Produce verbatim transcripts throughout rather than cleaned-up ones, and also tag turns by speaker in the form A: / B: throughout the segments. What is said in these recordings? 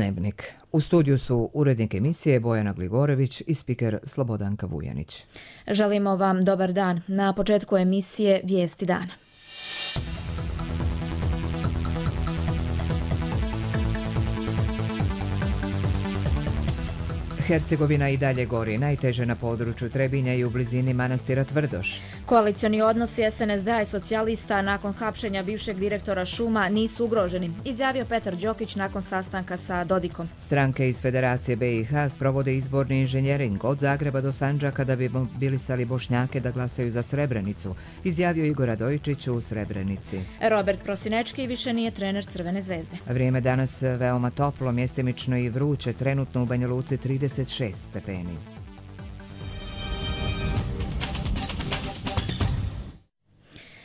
A: Dnevnik. U studiju su urednik emisije Bojana Gligorević i spiker Slobodanka Vujanić.
B: Želimo vam dobar dan. Na početku emisije Vijesti dana.
A: Hercegovina i dalje gori, najteže na području Trebinja i u blizini manastira Tvrdoš.
B: Koalicioni odnosi es en es de a i socijalista nakon hapšenja bivšeg direktora šuma nisu ugroženi, izjavio Petar Đokić nakon sastanka sa Dodikom.
A: Stranke iz Federacije be i ha sprovode izborni inženjering od Zagreba do Sandžaka da bi mobilisali Bošnjake da glasaju za Srebrenicu, izjavio Igor Radojičić u Srebrenici.
B: Robert Prosinečki više nije trener Crvene zvezde.
A: Vrijeme danas veoma toplo, mjestimično i vruće, trenutno u Banja Luci trideset šest stepeni.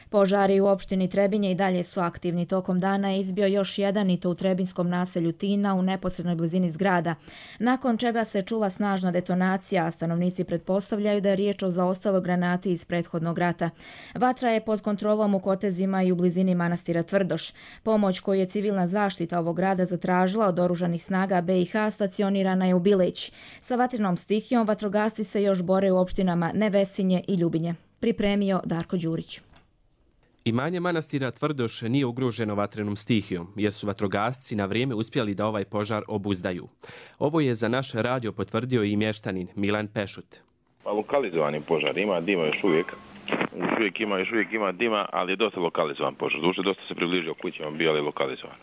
B: Požari u opštini Trebinje i dalje su aktivni. Tokom dana je izbio još jedan i to u trebinskom naselju Tina u neposrednoj blizini zgrada, nakon čega se čula snažna detonacija, a stanovnici pretpostavljaju da je riječ o zaostaloj granati iz prethodnog rata. Vatra je pod kontrolom u Kotezima i u blizini manastira Tvrdoš. Pomoć koju je civilna zaštita ovog grada zatražila od oružanih snaga be i ha stacionirana je u Bileć. Sa vatrenom stihijom vatrogasci se još bore u opštinama Nevesinje i Ljubinje. Pripremio Darko Đurić.
C: Imanje manastira Tvrdoš nije ugroženo vatrenom stihijom, jer su vatrogasci na vrijeme uspjeli da ovaj požar obuzdaju. Ovo je za naš radio potvrdio i mještanin Milan Pešut.
D: Pa lokalizovani požar, ima dima još uvijek. Još uvijek ima, još uvijek ima dima, ali je dosta lokalizovan požar. Duše, dosta se približio kućama, bio ali lokalizovan.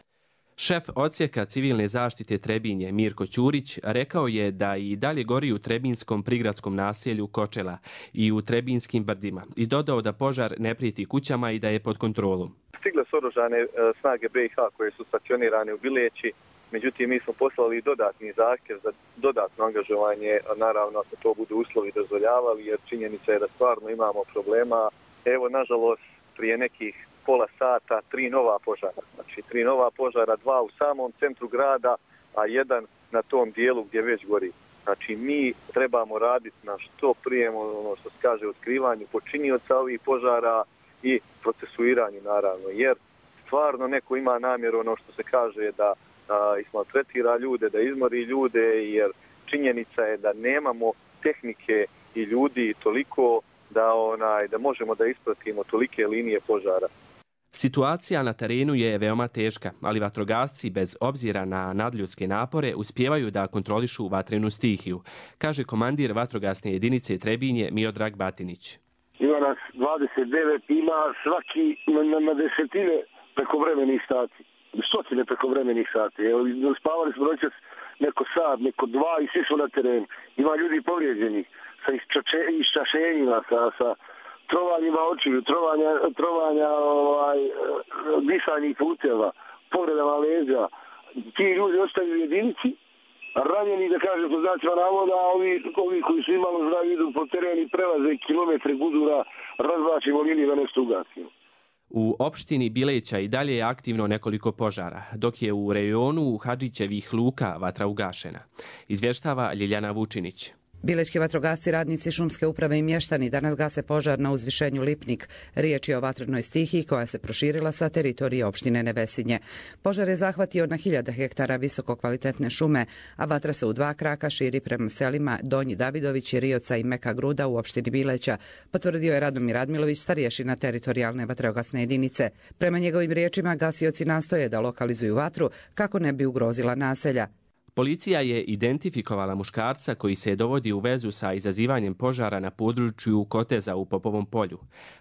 C: Šef odsjeka civilne zaštite Trebinje Mirko Ćurić rekao je da i dalje gori u trebinskom prigradskom naselju Kočela i u trebinskim brdima i dodao da požar ne prijeti kućama i da je pod kontrolom.
E: Stigle su oružane snage be i ha koje su stacionirane u Bileći, međutim mi smo poslali dodatni zahtjev za dodatno angažovanje, naravno ako to budu uslovi dozvoljavali, jer činjenica je da stvarno imamo problema. Evo, nažalost, prije nekih pola sata, tri nova požara. Znači, tri nova požara, dva u samom centru grada, a jedan na tom dijelu gdje već gori. Znači, mi trebamo raditi na što prije, ono što se kaže, otkrivanju počinioca ovih požara i procesuiranju, naravno. Jer stvarno neko ima namjeru, ono što se kaže, da a, ismaltretira ljude, da izmori ljude, jer činjenica je da nemamo tehnike i ljudi toliko da, onaj, da možemo da ispratimo tolike linije požara.
C: Situacija na terenu je veoma teška, ali vatrogasci bez obzira na nadljudske napore uspijevaju da kontrolišu vatrenu stihiju, kaže komandir vatrogasne jedinice Trebinje Miodrag Batinić.
F: Ima nas dvadeset devet, ima svaki na, na desetine prekovremenih sati, stotine prekovremenih sati. Evo, spavali smo noćas neko sat, neko dva i svi su na terenu. Ima ljudi povrijeđenih sa iščašenjima, sa... sa trovanjima očiju, trovanja, trovanja ovaj, disanih puteva, povredama leđa. Ti ljudi ostaju u jedinici, ranjeni, da kažem, po znacima navoda, a ovi, ovi koji su imalo zdravi idu po terenu i prelaze kilometre gudura, razvlačimo liniju da nešto ugasimo.
C: U opštini Bileća i dalje je aktivno nekoliko požara, dok je u rejonu Hadžićevih luka vatra ugašena, izvještava Ljiljana Vučinić.
G: Bilečki vatrogasci, radnici šumske uprave i mještani danas gase požar na uzvišenju Lipnik. Riječ je o vatrenoj stihiji koja se proširila sa teritorije opštine Nevesinje. Požar je zahvatio na hiljada hektara visoko kvalitetne šume, a vatra se u dva kraka širi prema selima Donji Davidović, Rioca i Meka Gruda u opštini Bileća, potvrdio je Radomir Radmilović, starješina teritorijalne vatrogasne jedinice. Prema njegovim riječima, gasioci nastoje da lokalizuju vatru kako ne bi ugrozila naselja.
C: Policija je identifikovala muškarca koji se dovodi u vezu sa izazivanjem požara na području Koteza u Popovom polju.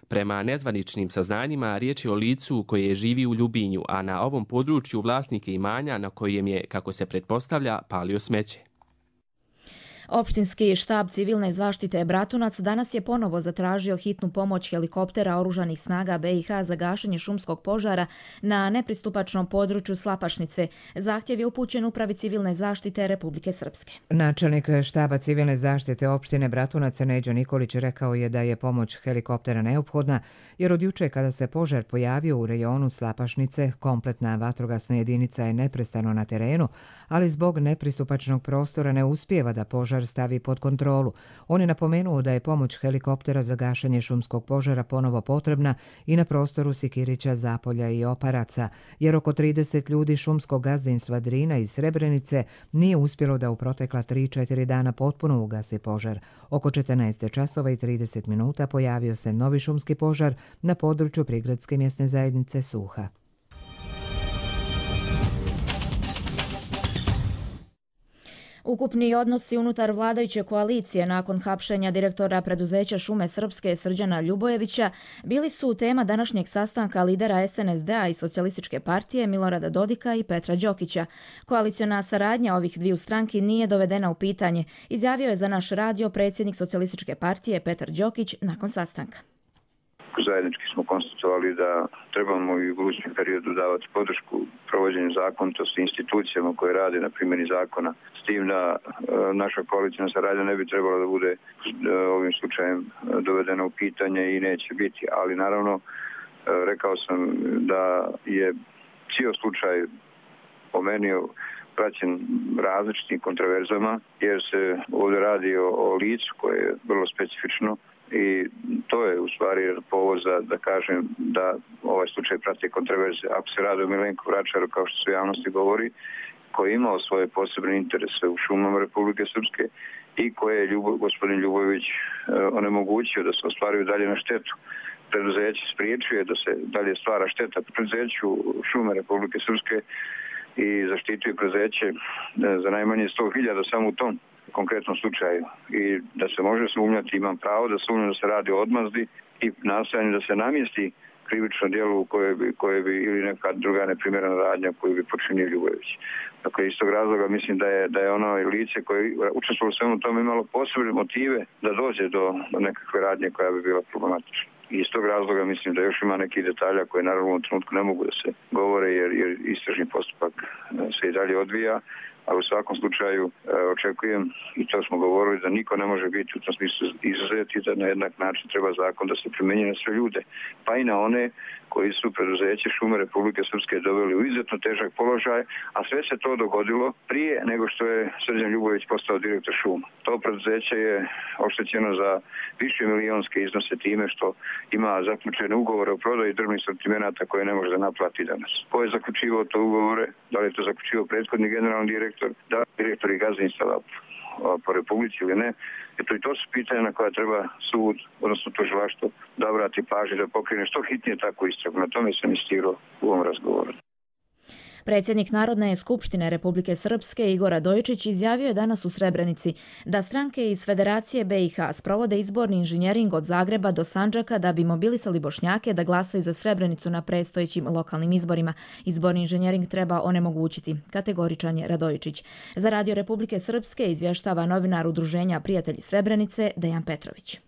C: Prema nezvaničnim saznanjima, riječ je o licu koje živi u Ljubinju, a na ovom području vlasnik je imanja na kojem je, kako se pretpostavlja, palio smeće.
B: Opštinski štab civilne zaštite Bratunac danas je ponovo zatražio hitnu pomoć helikoptera oružanih snaga be i ha za gašenje šumskog požara na nepristupačnom području Slapašnice. Zahtjev je upućen Upravi civilne zaštite Republike Srpske.
A: Načelnik štaba civilne zaštite opštine Bratunac Neđo Nikolić rekao je da je pomoć helikoptera neophodna, jer od juče kada se požar pojavio u rejonu Slapašnice, kompletna vatrogasna jedinica je neprestano na terenu, ali zbog nepristupačnog prostora ne uspijeva da požar požar stavi pod kontrolu. On je napomenuo da je pomoć helikoptera za gašenje šumskog požara ponovo potrebna i na prostoru Sikirića, Zapolja i Oparaca, jer oko trideset ljudi šumskog gazdinstva Drina iz Srebrenice nije uspjelo da u protekla tri četiri dana potpuno ugasi požar. Oko četrnaest časova i trideset minuta pojavio se novi šumski požar na području prigradske mjesne zajednice Suha.
B: Ukupni odnosi unutar vladajuće koalicije nakon hapšenja direktora preduzeća Šume Srpske Srđana Ljubojevića bili su tema današnjeg sastanka lidera es en es de a i Socijalističke partije Milorada Dodika i Petra Đokića. Koaliciona saradnja ovih dviju stranki nije dovedena u pitanje, izjavio je za naš radio predsjednik Socijalističke partije Petar Đokić nakon sastanka.
H: Zajednički smo konstatovali da trebamo i u budućem periodu davati podršku provođenju zakonitosti institucijama koje rade na primjeni zakona. S tim da e, naša koalicijna saradnja ne bi trebala da bude e, ovim slučajem dovedena u pitanje i neće biti. Ali naravno, e, rekao sam da je cijel slučaj po meni praćen različitim kontroverzama, jer se ovdje radi o, o licu koje je vrlo specifično. I to je u stvari povod za da kažem da ovaj slučaj prati kontroverze. Ako se radi o Milenku Vračaru, kao što se u javnosti govori, koji je imao svoje posebne interese u šumama Republike Srpske i koje je Ljubo, gospodin Ljubojević e, onemogućio da se ostvaruju dalje na štetu. Preduzeće spriječuje da se dalje stvara šteta preduzeću šume Republike Srpske i zaštituje preduzeće e, za najmanje sto hiljada samo u tom konkretnom slučaju. I da se može sumnjati, imam pravo da sumnjam da se radi o odmazdi i nastojanju da se namjesti krivično djelo u koje bi, koje bi ili neka druga neprimjerena radnja koju bi počinio Ljubojević. Dakle, iz tog razloga mislim da je, da je ono lice koje učestvovalo u svemu tome imalo posebne motive da dođe do, do nekakve radnje koja bi bila problematična. I iz tog razloga mislim da još ima nekih detalja koje naravno u trenutku ne mogu da se govore jer, jer istražni postupak se i dalje odvija. Ali u svakom slučaju e, očekujem, i to smo govorili, da niko ne može biti u tom smislu izuzeti, da na jednak način treba zakon da se primjenjuje na sve ljude, pa i na one koji su preduzeće Šume Republike Srpske doveli u izuzetno težak položaj, a sve se to dogodilo prije nego što je Srđan Ljubojević postao direktor šuma. To preduzeće je oštećeno za više milionske iznose time što ima zaključene ugovore o prodaji drvnih sortimenata koje ne može da naplati danas. Ko je zaključivao to ugovore? Da li je to zaključivao prethodni generalni direktor, da li direktor i gazdinstava po Republici ili ne? Eto, i to su pitanja na koja treba sud, odnosno tužilaštvo, da obrati pažnju da pokrene što hitnije takvu istragu. Na tome sam insistirao u ovom razgovoru.
B: Predsjednik Narodne skupštine Republike Srpske Igor Radojičić izjavio je danas u Srebrenici da stranke iz Federacije be i ha sprovode izborni inženjering od Zagreba do Sandžaka da bi mobilisali Bošnjake da glasaju za Srebrenicu na predstojećim lokalnim izborima. Izborni inženjering treba onemogućiti, kategoričan je Radojičić. Za Radio Republike Srpske izvještava novinar Udruženja Prijatelji Srebrenice Dejan Petrović.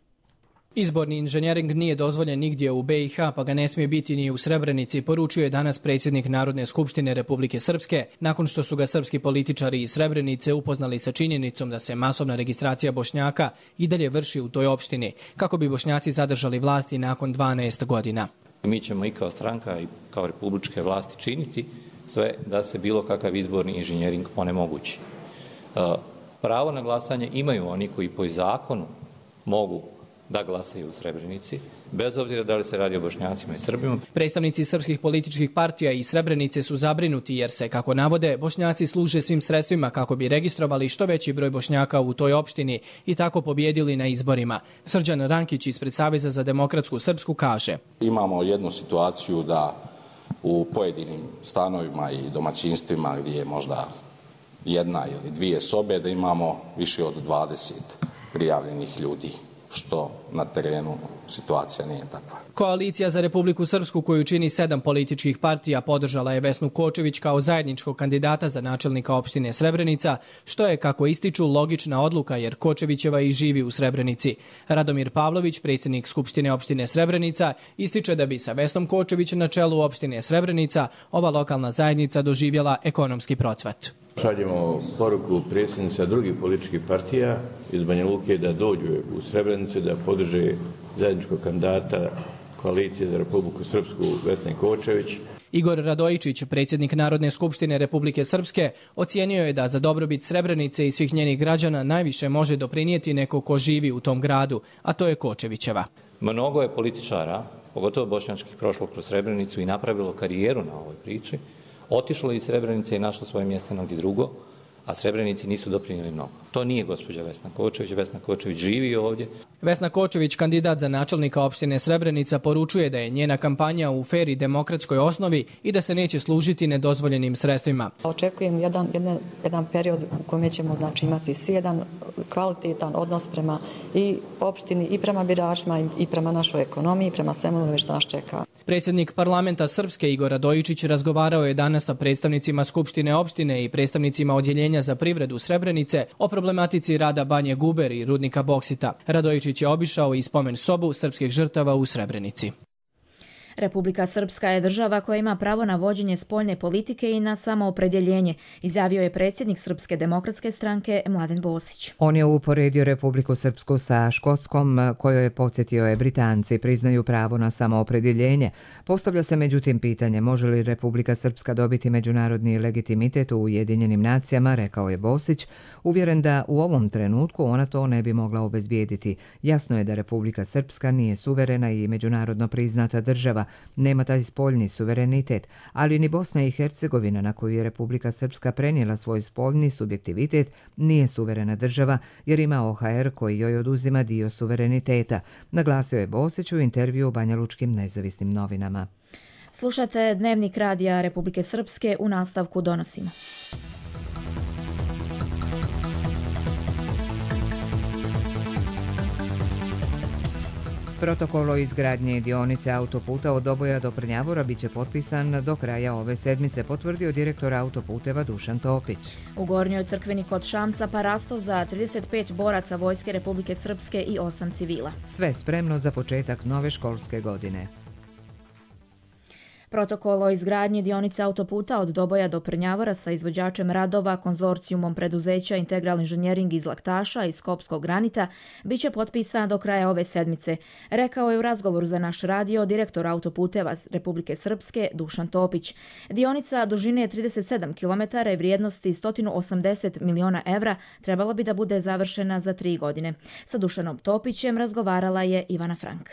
I: Izborni inženjering nije dozvoljen nigdje u be i ha, pa ga ne smije biti ni u Srebrenici, poručuje danas predsjednik Narodne skupštine Republike Srpske, nakon što su ga srpski političari iz Srebrenice upoznali sa činjenicom da se masovna registracija Bošnjaka i dalje vrši u toj opštini, kako bi Bošnjaci zadržali vlasti nakon dvanaest godina.
J: Mi ćemo i kao stranka i kao republičke vlasti činiti sve da se bilo kakav izborni inženjering onemogući. Pravo na glasanje imaju oni koji po zakonu mogu da glasaju u Srebrenici, bez obzira da li se radi o Bošnjacima i Srbima.
I: Predstavnici srpskih političkih partija i Srebrenice su zabrinuti jer se, kako navode, Bošnjaci služe svim sredstvima kako bi registrovali što veći broj Bošnjaka u toj opštini i tako pobjedili na izborima. Srđan Rankić ispred Saveza za demokratsku Srpsku kaže:
K: Imamo jednu situaciju da u pojedinim stanovima i domaćinstvima gdje je možda jedna ili dvije sobe da imamo više od dvadeset prijavljenih ljudi, što na terenu situacija nije takva.
I: Koalicija za Republiku Srpsku, koju čini sedam političkih partija, podržala je Vesnu Kočević kao zajedničkog kandidata za načelnika opštine Srebrenica, što je, kako ističu, logična odluka jer Kočevićeva i živi u Srebrenici. Radomir Pavlović, predsjednik Skupštine opštine Srebrenica, ističe da bi sa Vesnom Kočević na čelu opštine Srebrenica ova lokalna zajednica doživjela ekonomski procvat.
L: Šaljemo poruku predsjednica drugih političkih partija iz Banja Luke da dođu u Srebrenicu da podrže zajedničkog kandidata koalicije za Republiku Srpsku Vesne Kočević.
I: Igor Radojičić, predsjednik Narodne skupštine Republike Srpske, ocijenio je da za dobrobit Srebrenice i svih njenih građana najviše može doprinijeti neko ko živi u tom gradu, a to je Kočevićeva.
J: Mnogo je političara, pogotovo bošnjačkih, prošlo kroz Srebrenicu i napravilo karijeru na ovoj priči, otišlo iz Srebrenice i našlo svoje mjesto negdje drugo, a Srebrenici nisu doprinijeli mnogo. To nije gospođa Vesna Kočević. Vesna Kočević živi ovdje.
I: Vesna Kočević, kandidat za načelnika opštine Srebrenica, poručuje da je njena kampanja u fer i demokratskoj osnovi i da se neće služiti nedozvoljenim sredstvima.
M: Očekujem jedan, jedan, jedan period u kojem ćemo znači, imati svi jedan kvalitetan odnos prema i opštini, i prema biračima, i prema našoj ekonomiji, prema svemu onome što nas čeka.
I: Predsjednik parlamenta Srpske Igor Radojičić razgovarao je danas sa predstavnicima Skupštine opštine i predstavnicima odjeljenja za privredu Srebrenice o problematici rada Banje Guber i rudnika boksita. Radojičić je obišao i spomen sobu srpskih žrtava u Srebrenici.
B: Republika Srpska je država koja ima pravo na vođenje spoljne politike i na samoopredjeljenje, izjavio je predsjednik Srpske demokratske stranke Mladen Bosić.
A: On je uporedio Republiku Srpsku sa Škotskom, kojoj je podsjetio je Britanci priznaju pravo na samoopredjeljenje. Postavlja se međutim pitanje može li Republika Srpska dobiti međunarodni legitimitet u Ujedinjenim nacijama, rekao je Bosić, uvjeren da u ovom trenutku ona to ne bi mogla obezbijediti. Jasno je da Republika Srpska nije suverena i međunarodno priznata država, nema taj spoljni suverenitet, ali ni Bosna i Hercegovina, na koju je Republika Srpska prenijela svoj spoljni subjektivitet, nije suverena država jer ima O H R koji joj oduzima dio suvereniteta, naglasio je Bosić u intervju u Banjalučkim nezavisnim novinama.
B: Slušate Dnevnik radija Republike Srpske, u nastavku donosimo.
A: Protokol o izgradnji dionice autoputa od Doboja do Prnjavora biće potpisan do kraja ove sedmice, potvrdio direktor autoputeva Dušan Topić.
B: U Gornjoj crkveni kod Šamca parasto za trideset pet boraca Vojske Republike Srpske i osam civila.
A: Sve spremno za početak nove školske godine.
B: Protokol o izgradnji dionice autoputa od Doboja do Prnjavora sa izvođačem radova konzorcijumom preduzeća Integral inženjering iz Laktaša i Skopskog granita biće potpisan do kraja ove sedmice, rekao je u razgovoru za naš radio direktor autoputeva Republike Srpske Dušan Topić. Dionica dužine trideset sedam kilometara i vrijednosti sto osamdeset miliona evra trebala bi da bude završena za tri godine. Sa Dušanom Topićem razgovarala je Ivana Frank.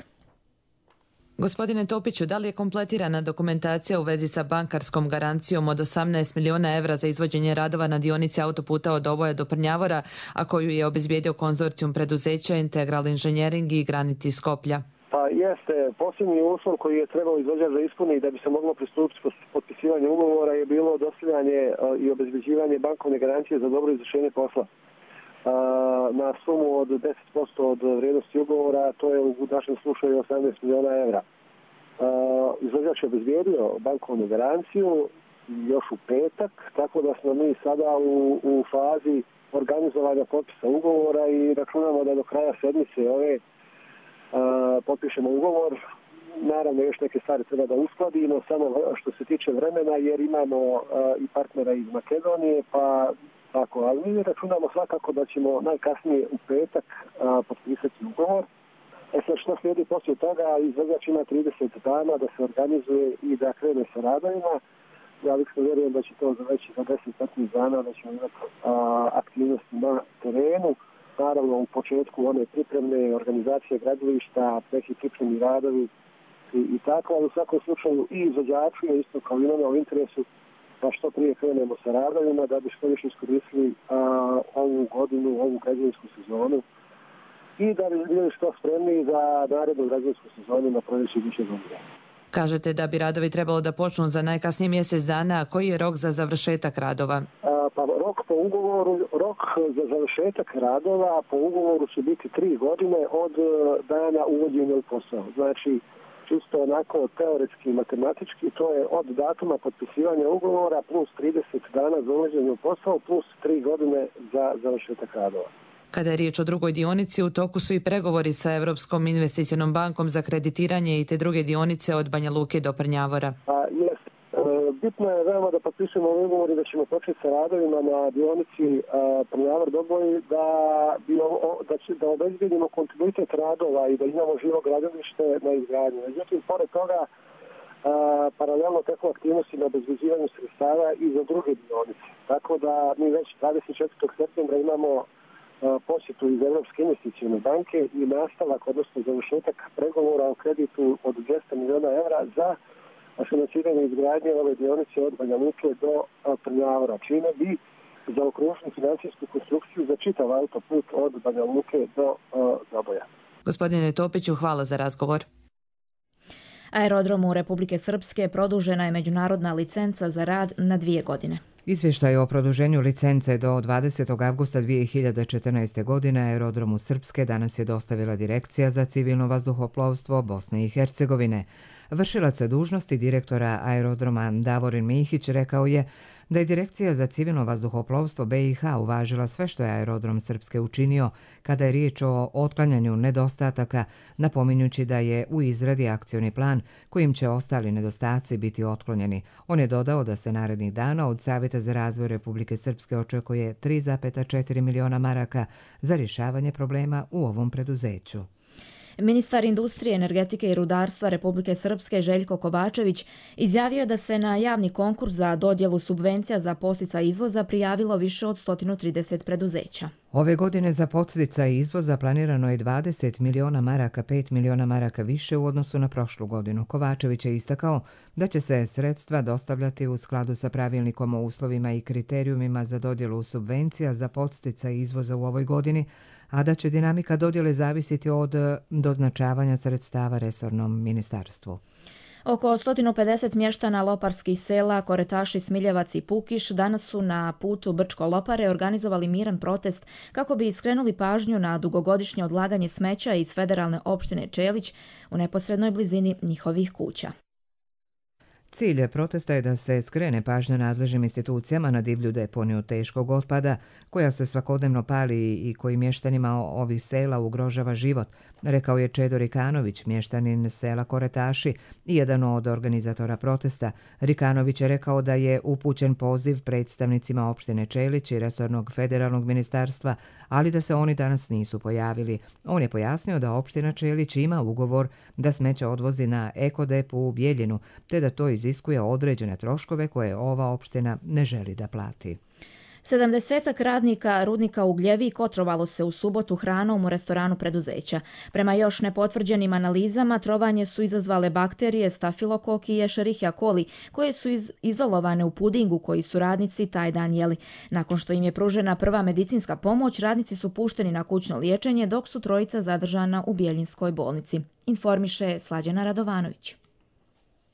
N: Gospodine Topiću, da li je kompletirana dokumentacija u vezi sa bankarskom garancijom od osamnaest miliona evra za izvođenje radova na dionici autoputa od Doboja do Prnjavora, a koju je obezbijedio konzorcijum preduzeća Integral inženjering i Granit iz Skoplja?
F: Pa jeste, posljednji uslov koji je trebao izvođač da ispuni da bi se moglo pristupiti potpisivanju ugovora je bilo dostavljanje i obezbeđivanje bankovne garancije za dobro izvršenje posla na sumu od deset posto od vrijednosti ugovora, to je u našem slučaju osamnaest miliona evra. Izvođač je obezbijedio bankovnu garanciju još u petak, tako da smo mi sada u, u fazi organizovanja potpisa ugovora i računamo da do kraja sedmice ove potpišemo ugovor. Naravno, još neke stvari treba da uskladimo, samo što se tiče vremena, jer imamo i partnera iz Makedonije, pa tako, ali mi računamo svakako da ćemo najkasnije u petak a, potpisati ugovor. E sad što slijedi poslije toga, izvođač ima trideset dana da se organizuje i da krene sa radovima. Ja lično vjerujem da će to završi za deset do petnaest dana, da ćemo imati a, aktivnosti na terenu. Naravno, u početku one pripremne organizacije gradilišta, neki pripremni radovi i, i tako, ali u svakom slučaju i izvođaču je isto kao i nama u interesu da što prije krenemo sa radovima, da bi što više iskoristili a, ovu godinu, ovu građevinsku sezonu i da bi bili što spremni za narednu građevinsku sezonu na proljeće iduće godine.
N: Kažete da bi radovi trebalo da počnu za najkasnije mjesec dana. Koji je rok za završetak radova?
F: A, pa rok po ugovoru, rok za završetak radova po ugovoru će biti tri godine od dana uvođenja u posao. Znači, čisto onako teoretski i matematički, to je od datuma potpisivanja ugovora plus trideset dana za uvođenje u posao plus tri godine za završetak radova.
N: Kada je riječ o drugoj dionici, u toku su i pregovori sa Europskom investicionom bankom za kreditiranje i te druge dionice od Banja Luke do Prnjavora.
F: A, jest. E, bitno je veoma da potpisujemo ugovor i da ćemo početi sa radovima na dionici Prnjavor-Doboj da, da, da obezbijedimo kontinuitet radova i da imamo živo gradilište na izgradnju. Međutim, pored toga
O: a, paralelno tako aktivnosti na obezbeđivanju sredstava i za druge dionice. Tako da mi već dvadeset četvrtog septembra imamo a, posjetu iz Evropske investicione banke i nastavak, odnosno završetak pregovora o kreditu od dvesta miliona evra za financiranje izgradnje ove dionice od Banja Luke do Trnjavora, čime bi zaokružili financijsku konstrukciju za čitav autoput od Banja Luke do Zaboja.
N: Gospodine Topiću, hvala za razgovor.
B: Aerodromu Republike Srpske produžena je međunarodna licenca za rad na dvije godine.
A: Izvještaj o produženju licence do dvadesetog avgusta dvije hiljade četrnaeste. godine Aerodromu Srpske danas je dostavila Direkcija za civilno vazduhoplovstvo Bosne i Hercegovine. Vršilac dužnosti direktora aerodroma Davorin Mihić rekao je da je Direkcija za civilno vazduhoplovstvo B i H uvažila sve što je Aerodrom Srpske učinio kada je riječ o otklanjanju nedostataka, napominjući da je u izradi akcioni plan kojim će ostali nedostaci biti otklonjeni. On je dodao da se narednih dana od Savjeta za razvoj Republike Srpske očekuje tri zarez četiri miliona maraka za rješavanje problema u ovom preduzeću.
B: Ministar industrije, energetike i rudarstva Republike Srpske Željko Kovačević izjavio da se na javni konkurs za dodjelu subvencija za podsticaj izvoza prijavilo više od sto trideset preduzeća.
A: Ove godine za podsticaj izvoza planirano je dvadeset miliona maraka, pet miliona maraka više u odnosu na prošlu godinu. Kovačević je istakao da će se sredstva dostavljati u skladu sa pravilnikom o uslovima i kriterijumima za dodjelu subvencija za podsticaj izvoza u ovoj godini, a da će dinamika dodjele zavisiti od doznačavanja sredstava resornom ministarstvu.
B: Oko sto pedeset mještana loparskih sela Koretaši, Smiljevac i Pukiš danas su na putu Brčko-Lopare organizovali miran protest kako bi skrenuli pažnju na dugogodišnje odlaganje smeća iz federalne opštine Čelić u neposrednoj blizini njihovih kuća.
A: Cilj protesta je da se skrene pažnja nadležnim institucijama na divlju deponiju teškog otpada koja se svakodnevno pali i koji mještanima ovih sela ugrožava život, rekao je Čedo Rikanović, mještanin sela Koretaši i jedan od organizatora protesta. Rikanović je rekao da je upućen poziv predstavnicima opštine Čelić i resornog federalnog ministarstva, ali da se oni danas nisu pojavili. On je pojasnio da opština Čelić ima ugovor da smeća odvozi na ekodepu u Bijeljinu, te da to iziskuje određene troškove koje ova opština ne želi da plati.
B: Sedamdesetak radnika rudnika Ugljevik otrovalo se u subotu hranom u restoranu preduzeća. Prema još nepotvrđenim analizama, trovanje su izazvale bakterije Stafilokok i Escherichia coli, koje su iz izolovane u pudingu koji su radnici taj dan jeli. Nakon što im je pružena prva medicinska pomoć, radnici su pušteni na kućno liječenje, dok su trojica zadržana u Bjeljinskoj bolnici. Informiše Slađana Radovanović.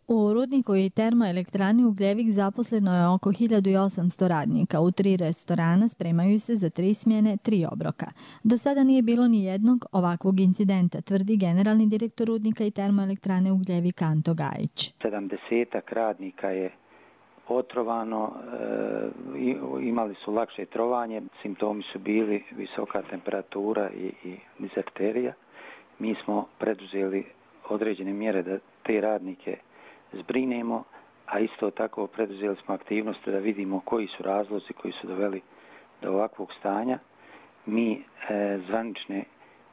P: U rudniku i termoelektrani Ugljevik zaposleno je oko hiljadu osamsto radnika. U tri restorana spremaju se za tri smjene, tri obroka. Do sada nije bilo ni jednog ovakvog incidenta, tvrdi generalni direktor rudnika i termoelektrane Ugljevik Anto Gajić.
Q: sedamdesetak radnika je otrovano, e, imali su lakše trovanje, simptomi su bili visoka temperatura i, i dizerterija. Mi smo preduzeli određene mjere da te radnike zbrinemo, a isto tako preduzeli smo aktivnosti da vidimo koji su razlozi koji su doveli do ovakvog stanja. Mi e, zvanične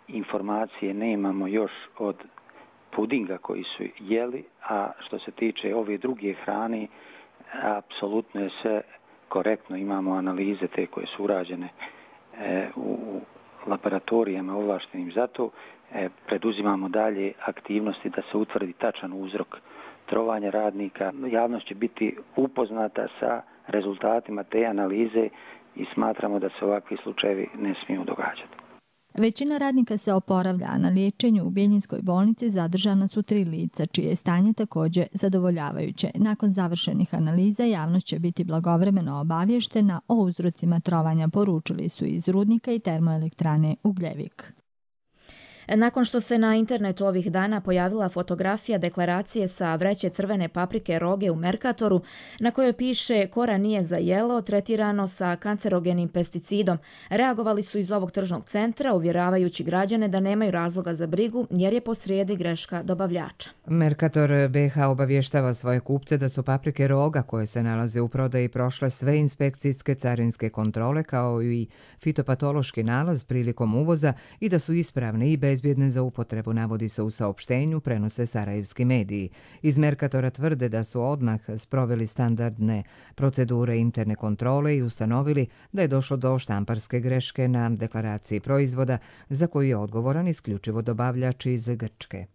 Q: informacije nemamo još od pudinga koji su jeli, a što se tiče ove druge hrane, apsolutno je sve korektno. Imamo analize te koje su urađene e, u laboratorijama ovlaštenim za to. E, preduzimamo dalje aktivnosti da se utvrdi tačan uzrok trovanja radnika. Javnost će biti upoznata sa rezultatima te analize i smatramo da se ovakvi slučajevi ne smiju događati.
P: Većina radnika se oporavlja, a na liječenju u Bjeljinskoj bolnici zadržana su tri lica, čije je stanje također zadovoljavajuće. Nakon završenih analiza, javnost će biti blagovremeno obavještena o uzrocima trovanja, poručili su iz rudnika i termoelektrane Ugljevik.
B: Nakon što se na internetu ovih dana pojavila fotografija deklaracije sa vreće crvene paprike Roge u Merkatoru, na kojoj piše kora nije za jelo, tretirano sa kancerogenim pesticidom, reagovali su iz ovog tržnog centra, uvjeravajući građane da nemaju razloga za brigu jer je posrijedi greška dobavljača.
A: Merkator B H obavještava svoje kupce da su paprike Roga koje se nalaze u prodaji prošle sve inspekcijske carinske kontrole kao i fitopatološki nalaz prilikom uvoza i da su ispravne i bez bezbjedne za upotrebu, navodi se u saopštenju, prenose sarajevski mediji. Iz Merkatora tvrde da su odmah sproveli standardne procedure interne kontrole i ustanovili da je došlo do štamparske greške na deklaraciji proizvoda za koju je odgovoran isključivo dobavljač iz Grčke.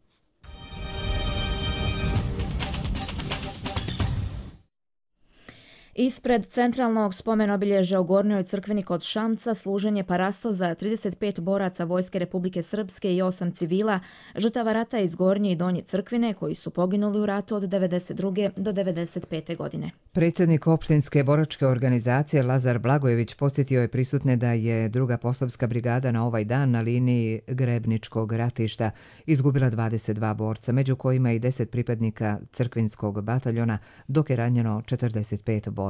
B: Ispred centralnog spomen-obilježja u Gornjoj crkveni kod Šamca služen je parasto za trideset pet boraca Vojske Republike Srpske i osam civila, žrtava rata iz Gornje i Donje crkvine koji su poginuli u ratu od devedeset druge do devedeset pete godine.
A: Predsjednik opštinske boračke organizacije Lazar Blagojević podsjetio je prisutne da je druga posavska brigada na ovaj dan na liniji Grebničkog ratišta izgubila dvadeset dva borca, među kojima i deset pripadnika crkvinskog bataljona, dok je ranjeno četrdeset pet boraca.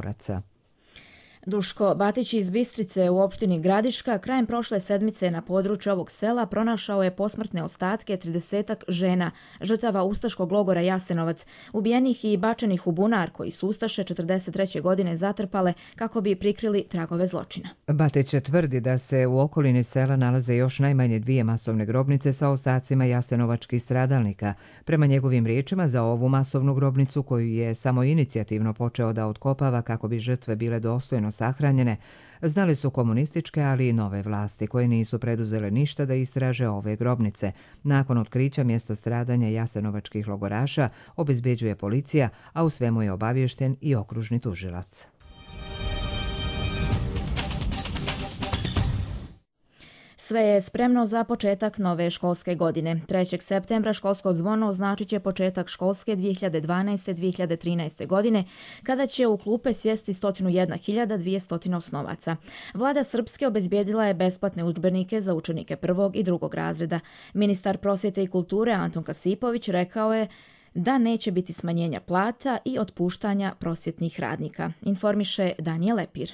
B: Duško Batić iz Bistrice u opštini Gradiška krajem prošle sedmice na području ovog sela pronašao je posmrtne ostatke tridesetak žena, žrtava ustaškog logora Jasenovac, ubijenih i bačenih u bunar koji su ustaše četrdeset treće godine zatrpale kako bi prikrili tragove zločina.
A: Batić tvrdi da se u okolini sela nalaze još najmanje dvije masovne grobnice sa ostacima jasenovačkih stradalnika. Prema njegovim riječima, za ovu masovnu grobnicu koju je samo inicijativno počeo da otkopava kako bi žrtve bile dostojno sahranjene, znali su komunističke, ali i nove vlasti koje nisu preduzele ništa da istraže ove grobnice. Nakon otkrića mjesto stradanja jasenovačkih logoraša obezbeđuje policija, a u svemu je obaviješten i okružni tužilac.
B: Sve je spremno za početak nove školske godine. trećeg septembra školsko zvono označit će početak školske dvije hiljade dvanaeste dvije hiljade trinaeste. godine, kada će u klupe sjesti sto jedna hiljada dvjesto osnovaca. Vlada Srpske obezbijedila je besplatne udžbenike za učenike prvog i drugog razreda. Ministar prosvjete i kulture Anton Kasipović rekao je da neće biti smanjenja plata i otpuštanja prosvjetnih radnika, informiše Danijel Lepir.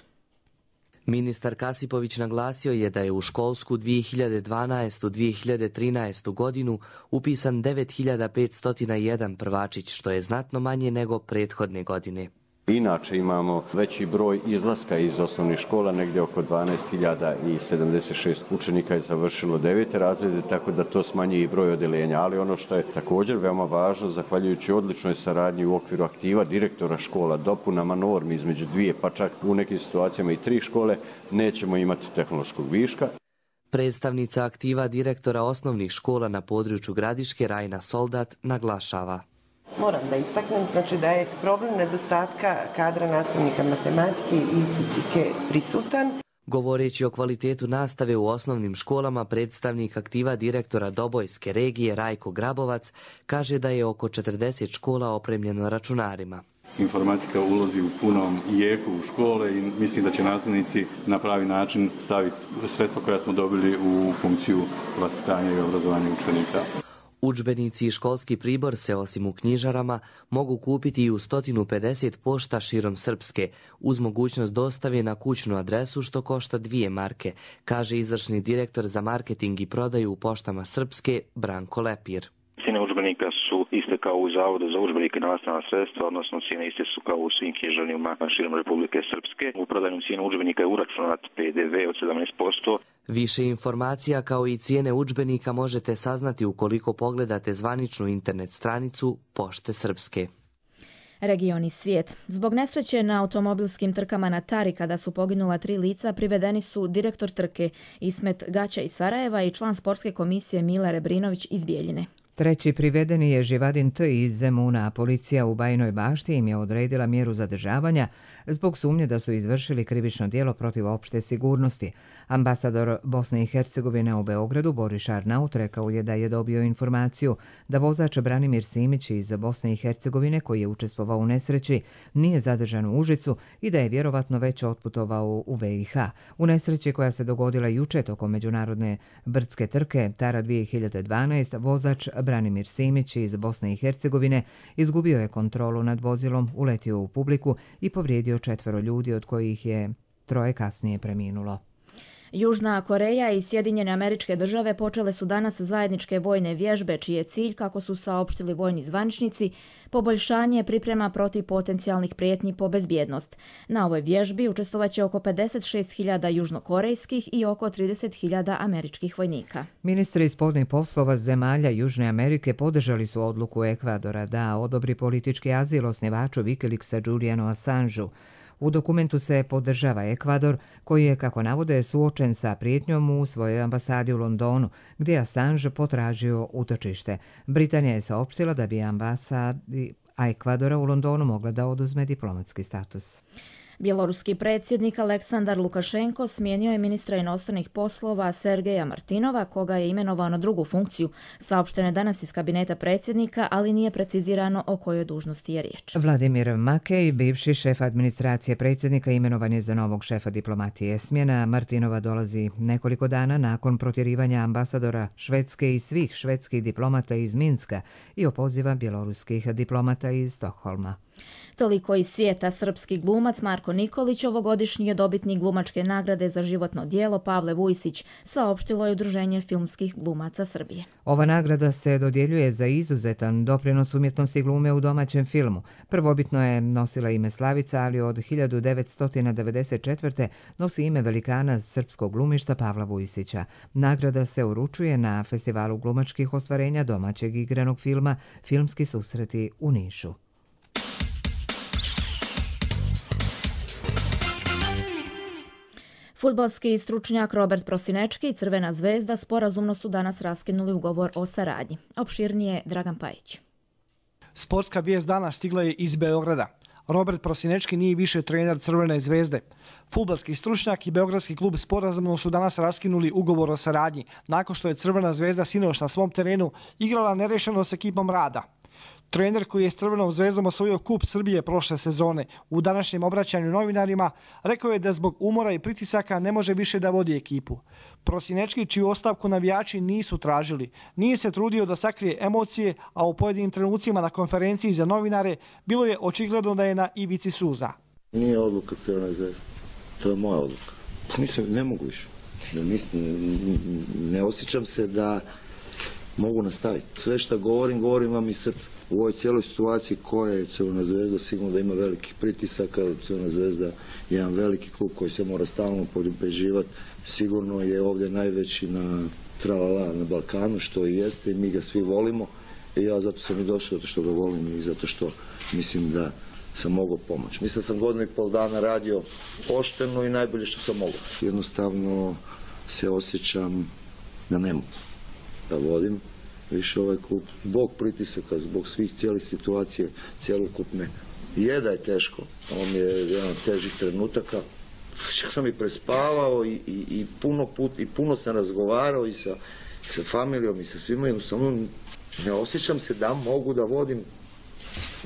R: Ministar Kasipović naglasio je da je u školsku dvije hiljade dvanaeste dvije hiljade trinaeste. godinu upisan devet hiljada petsto jedan prvačić, što je znatno manje nego prethodne godine.
S: Inače imamo veći broj izlaska iz osnovnih škola, negdje oko dvanaest hiljada sedamdeset šest učenika je završilo devete razrede, tako da to smanjuje i broj odeljenja. Ali ono što je također veoma važno, zahvaljujući odličnoj saradnji u okviru aktiva direktora škola, dopunama normi između dvije, pa čak u nekim situacijama i tri škole, nećemo imati tehnološkog viška.
R: Predstavnica aktiva direktora osnovnih škola na području Gradiške, Rajna Soldat, naglašava.
T: Moram da istaknem, znači da je problem nedostatka kadra nastavnika matematike i fizike prisutan.
R: Govoreći o kvalitetu nastave u osnovnim školama, predstavnik aktiva direktora Dobojske regije Rajko Grabovac kaže da je oko četrdeset škola opremljeno računarima.
U: Informatika ulazi u punom jeku u škole i mislim da će nastavnici na pravi način staviti sredstva koja smo dobili u funkciju vaspitanja i obrazovanja učenika.
R: Udžbenici i školski pribor se osim u knjižarama mogu kupiti i u sto pedeset pošta širom Srpske, uz mogućnost dostave na kućnu adresu što košta dvije marke, kaže izvršni direktor za marketing i prodaju u poštama Srpske Branko Lepir.
V: Cijene udžbenika su iste kao u Zavodu za udžbenike i nastavna sredstva, odnosno cijene iste su kao u svim knjižarnima širom Republike Srpske. U prodajnom cijenu udžbenika je uračunat P D V od sedamnaest posto.
R: Više informacija kao i cijene udžbenika možete saznati ukoliko pogledate zvaničnu internet stranicu Pošte Srpske.
B: Regioni svijet. Zbog nesreće na automobilskim trkama na Tari kada su poginula tri lica, privedeni su direktor trke Ismet Gaća iz Sarajeva i član sportske komisije Mile Rebrinović iz Bijeljine.
A: Treći privedeni je Živadin T. iz Zemuna, a policija u Bajinoj Bašti im je odredila mjeru zadržavanja zbog sumnje da su izvršili krivično djelo protiv opšte sigurnosti. Ambasador Bosne i Hercegovine u Beogradu Boris Arnaut rekao je da je dobio informaciju da vozač Branimir Simić iz Bosne i Hercegovine, koji je učestvovao u nesreći, nije zadržan u Užicu i da je vjerovatno već otputovao u B i H. U nesreći koja se dogodila juče tokom međunarodne brdske trke Tara dvije hiljade dvanaeste. vozač Branimir Simić iz Bosne i Hercegovine izgubio je kontrolu nad vozilom, uletio u publiku i povrijedio četvero ljudi, od kojih je troje kasnije preminulo.
B: Južna Koreja i Sjedinjene Američke Države počele su danas zajedničke vojne vježbe, čiji je cilj, kako su saopštili vojni zvaničnici, poboljšanje priprema protiv potencijalnih prijetnji po bezbjednost. Na ovoj vježbi učestvovaće oko pedeset šest hiljada južnokorejskih i oko trideset hiljada američkih vojnika.
A: Ministri spoljnih poslova zemalja Južne Amerike podržali su odluku Ekvadora da odobri politički azil osnivaču Wikileaksa Julianu Assangeu. U dokumentu se podržava Ekvador, koji je, kako navode, suočen sa prijetnjom u svojoj ambasadi u Londonu, gdje je Assange potražio utočište. Britanija je saopštila da bi ambasadi Ekvadora u Londonu mogla da oduzme diplomatski status.
B: Bjeloruski predsjednik Aleksandar Lukašenko smijenio je ministra inostranih poslova Sergeja Martinova, koga je imenovao na drugu funkciju. Saopšteno je danas iz kabineta predsjednika, ali nije precizirano o kojoj dužnosti je riječ.
A: Vladimir Makej, bivši šef administracije predsjednika, imenovan je za novog šefa diplomatije. Smjena Martinova dolazi nekoliko dana nakon protjerivanja ambasadora Švedske i svih švedskih diplomata iz Minska i opoziva bjeloruskih diplomata iz Stokholma.
B: Toliko iz svijeta. Srpski glumac Marko Nikolić ovogodišnji je dobitnik glumačke nagrade za životno djelo Pavle Vujsić, saopštilo je Udruženje filmskih glumaca Srbije.
A: Ova nagrada se dodjeljuje za izuzetan doprinos umjetnosti glume u domaćem filmu. Prvobitno je nosila ime Slavica, ali od hiljadu devetsto devedeset četvrte nosi ime velikana srpskog glumišta Pavla Vujsića. Nagrada se uručuje na Festivalu glumačkih ostvarenja domaćeg igranog filma Filmski susreti u Nišu.
B: Fudbalski stručnjak Robert Prosinečki i Crvena zvezda sporazumno su danas raskinuli ugovor o saradnji. Opširnije Dragan Pajić.
D: Sportska vijest danas stigla je iz Beograda. Robert Prosinečki nije više trener Crvene zvezde. Fudbalski stručnjak i beogradski klub sporazumno su danas raskinuli ugovor o saradnji, nakon što je Crvena zvezda sinoć na svom terenu igrala nerešeno s ekipom Rada. Trener koji je s Crvenom zvezdom osvojio kup Srbije prošle sezone, u današnjem obraćanju novinarima rekao je da zbog umora i pritisaka ne može više da vodi ekipu. Prosinečki, čiju ostavku navijači nisu tražili, nije se trudio da sakrije emocije, a u pojedinim trenucima na konferenciji za novinare bilo je očigledno da je na ivici suza.
E: Nije odluka Crvene zvezde, to je moja odluka. Pa nisam, ne mogu više. Ne osjećam se da mogu nastaviti. Sve što govorim, govorim vam iz srca. U ovoj cijeloj situaciji koja je Crvena zvezda, sigurno da ima velikih pritisaka. Crvena zvezda je jedan veliki klub koji se mora stalno pobeđivati. Sigurno je ovdje najveći na tralala na Balkanu, što i jeste, i mi ga svi volimo. I ja zato sam i došao, zato što ga volim i zato što mislim da sam mogao pomoći. Mislim da sam godinu i pol dana radio pošteno i najbolje što sam mogao. Jednostavno se osjećam da ne mogu da vodim više ovaj klub. Zbog pritisaka, zbog svih cijelih situacije, cijelokupne. Je da je teško, ovo mi je jedan od težih trenutaka. Čak sam i prespavao i, i, i puno put, i puno sam razgovarao i sa, sa familijom i sa svima. Jednostavno ne osjećam se da mogu da vodim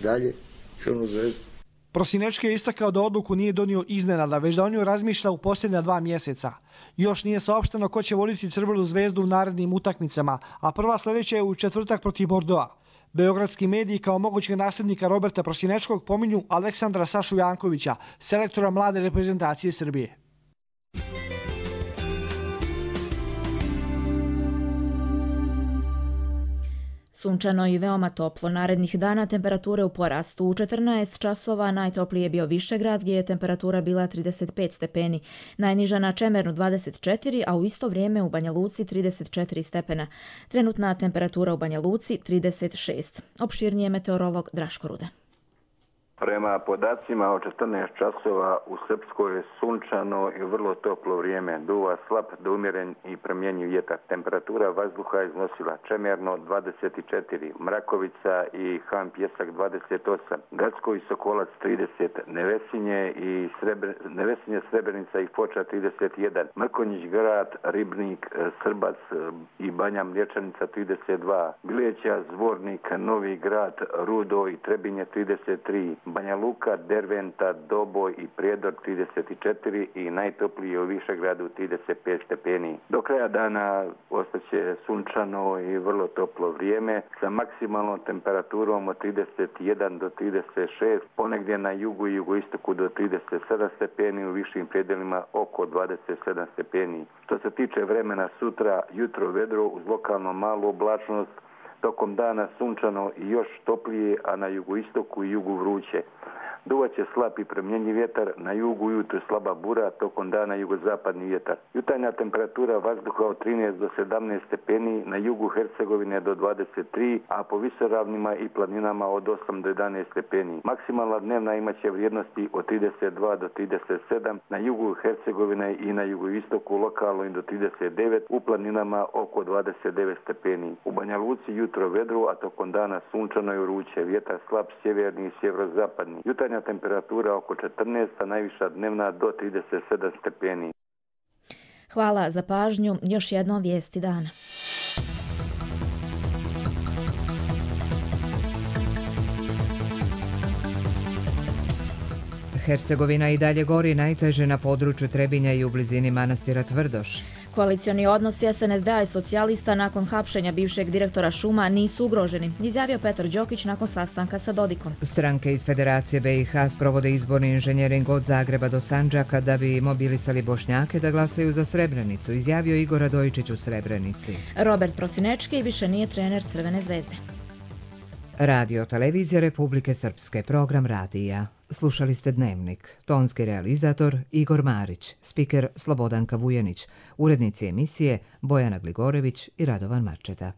E: dalje Crvenu zvezdu.
D: Prosinečki je istakao da odluku nije donio iznenada, već da on ju razmišlja u posljednja dva mjeseca. Još nije saopšteno ko će voditi Crvenu zvezdu u narednim utakmicama, a prva sljedeća je u četvrtak protiv Bordoa. Beogradski mediji kao mogućeg nasljednika Roberta Prosinečkog pominju Aleksandra Sašu Jankovića, selektora mlade reprezentacije Srbije.
B: Sunčano i veoma toplo. Narednih dana temperature u porastu. U četrnaest časova najtoplije je bio Višegrad, gdje je temperatura bila trideset pet stepeni. Najniža na Čemernu dvadeset četiri, a u isto vrijeme u Banja Luci trideset četiri stepena. Trenutna temperatura u Banja Luci trideset šest. Opširnije meteorolog Draško Ruda.
W: Prema podacima o četrnaest časova u Srpskoj je sunčano i vrlo toplo vrijeme. Duva slab do umjeren i promjenjiv vjetar. Temperatura vazduha iznosila Čemerno dvadeset četiri, Mrakovica i Han Pjesak dvadeset osam, Gacko i Sokolac trideset, Nevesinje i Srebr... Nevesinje, Srebrenica i Foča trideset jedan, Mrkonjić Grad, Ribnik, Srbac i Banja Mlječanica trideset dva, Bileća, Zvornik, Novi Grad, Rudo i Trebinje trideset tri, Banja Luka, Derventa, Doboj i Prijedor trideset četiri i najtopliji u Višegradu trideset pet stepeni. Do kraja dana ostaće sunčano i vrlo toplo vrijeme sa maksimalnom temperaturom od trideset jedan do trideset šest, ponegdje na jugu i jugoistoku do trideset sedam stepeni, u višim predelima oko dvadeset sedam stepeni. Što se tiče vremena sutra, jutro vedro uz lokalno malu oblačnost, tokom dana sunčano i još toplije, a na jugoistoku i jugu vruće. Duvaće slab i promjenjiv vjetar, na jugu ujutro slaba bura, tokom dana jugozapadni vjetar. Jutarnja temperatura vazduha od trinaest do sedamnaest stepeni, na jugu Hercegovine do dvadeset tri, a po visoravnima i planinama od osam do jedanaest stepeni. Maksimalna dnevna imaće vrijednosti od trideset dva do trideset sedam, na jugu Hercegovine i na jugoistoku lokalno i do trideset devet, u planinama oko dvadeset devet stepeni. U Banja Luci jutro vedro, a tokom dana sunčano i vruće, vjetar slab sjeverni i sjeverozapadni. Jutarnja temperatura oko četrnaest, a najviša dnevna do trideset sedam stepeni.
B: Hvala za pažnju. Još jedno vijesti dana.
A: Hercegovina i dalje gori, najteže na području Trebinja i u blizini manastira Tvrdoš.
B: Koalicioni odnosi S N S D-a i socijalista nakon hapšenja bivšeg direktora šuma nisu ugroženi, izjavio Petar Đokić nakon sastanka sa Dodikom.
A: Stranke iz Federacije B i H sprovode izborni inženjering od Zagreba do Sandžaka da bi mobilisali Bošnjake da glasaju za Srebrenicu, izjavio Igor Radojičić u Srebrenici.
B: Robert Prosinečki više nije trener Crvene zvezde.
A: Radio Televizija Republike Srpske, program radija. Slušali ste Dnevnik. Tonski realizator Igor Marić, spiker Slobodanka Vujanić, urednici emisije Bojana Gligorević i Radovan Marčeta.